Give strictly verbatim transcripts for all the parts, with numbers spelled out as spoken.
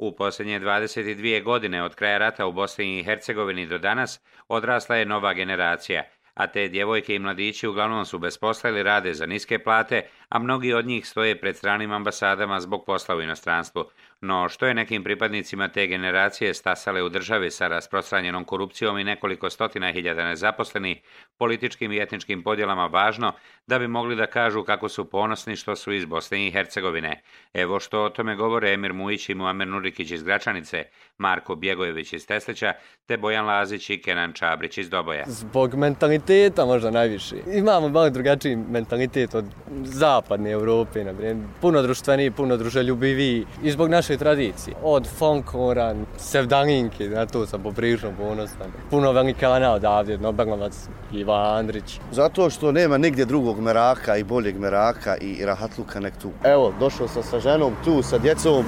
U posljednje dvadeset dvije godine od kraja rata u Bosni i Hercegovini do danas odrasla je nova generacija, a te djevojke i mladići uglavnom su bez posla ili rade za niske plate, a mnogi od njih stoje pred stranim ambasadama zbog posla u inostranstvu. No, što je nekim pripadnicima te generacije stasale u državi sa rasprostranjenom korupcijom i nekoliko stotina hiljada nezaposlenih, političkim i etničkim podjelama važno da bi mogli da kažu kako su ponosni što su iz Bosne i Hercegovine. Evo što o tome govore Emir Mujić i Muamer Nurikić iz Gračanice, Marko Bjegojević iz Teslića, te Bojan Lazić i Kenan Čabrić iz Doboja. Zbog mentaliteta možda najviše. Imamo malo drugačiji mentalitet od zapadne Europe, na primjer. Puno društveniji, puno druželjubiviji i zbog naše tradicije. Od folklora, sevdalinke, na to sam poprilično ponosan. Puno velikana odavdje, Nobelovac, Iva Andrić. Zato što nema nigdje drugog meraka i boljeg meraka i rahatluka nek tu. Evo, došao sam sa ženom tu, sa djecom,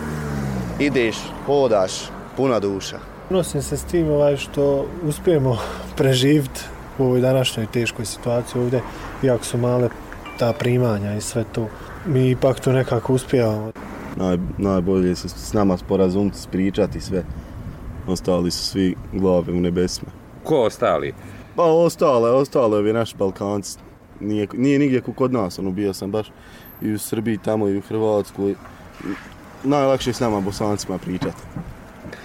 Ideš, hodaš, puna duša. Nosim se s tim ovaj, što uspijemo preživjeti u ovoj današnjoj teškoj situaciji ovdje, iako su male ta primanja i sve to. Mi ipak to nekako uspijamo. Naj, najbolje se s nama sporazumiti, spričati sve. Ostali su svi glave u nebesima. Ko ostali? Pa ostale, ostale ovi naši Balkanci. Nije, nije nigdje kod nas, ono, bio sam baš i u Srbiji, tamo i u Hrvatskoj. Najlakše je s nama Bosancima pričati.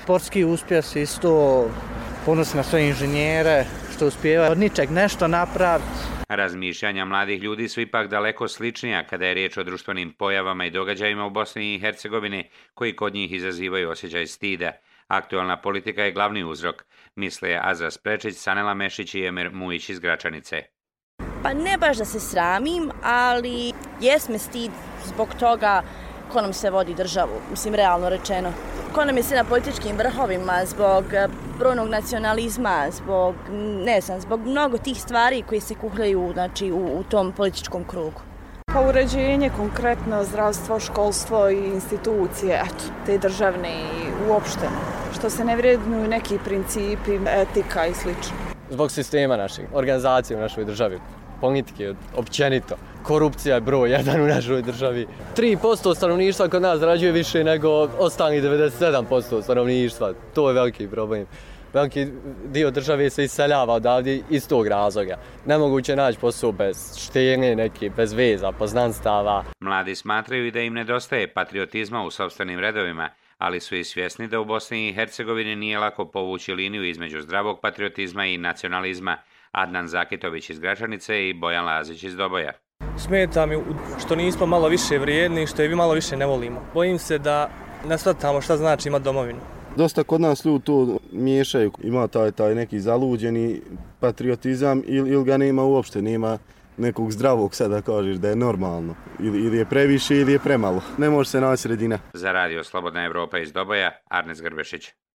Sportski uspjeh isto, ponos na sve inženjere, što uspijeva od ničeg nešto napraviti. Razmišljanja mladih ljudi su ipak daleko sličnija kada je riječ o društvenim pojavama i događajima u Bosni i Hercegovini koji kod njih izazivaju osjećaj stida. Aktualna politika je glavni uzrok, misle Azra Sprečić, Sanela Mešić i Emir Mujić iz Gračanice. Pa ne baš da se sramim, ali jes me stid zbog toga ko nam se vodi državu, mislim realno rečeno. Ko nam je sve na političkim vrhovima zbog brojnog nacionalizma, zbog, ne znam, zbog mnogo tih stvari koji se kuhljaju, znači, u, u tom političkom krugu. Pa uređenje, konkretno zdravstvo, školstvo i institucije, eto, te državne i uopšte. Što se ne vrednuju neki principi, etika i slično. Zbog sistema našeg, organizacije u našoj državi, politike općenito. Korupcija je broj jedan u našoj državi. tri posto stanovništva kod nas zarađuje više nego ostali devedeset sedam posto stanovništva. To je veliki problem. Veliki dio države se iseljava odavdje iz tog razloga. Nemoguće naći posao bez štene, neke, bez veza, poznanstava. Mladi smatraju i da im nedostaje patriotizma u sopstvenim redovima, ali su i svjesni da u Bosni i Hercegovini nije lako povući liniju između zdravog patriotizma i nacionalizma. Adnan Zakitović iz Gračanice i Bojan Lazić iz Doboja. Smeta mi što nismo malo više vrijedni, što je vi malo više ne volimo. Bojim se da ne shvatamo šta znači imati domovinu. Dosta kod nas ljudi to miješaju. Ima taj, taj neki zaluđeni patriotizam ili, ili ga nema uopšte, nema nekog zdravog sada kažeš da je normalno. Ili, ili je previše ili je premalo. Ne može se naći sredina. Za radio Slobodna Evropa iz Doboja, Arnes Grbešić.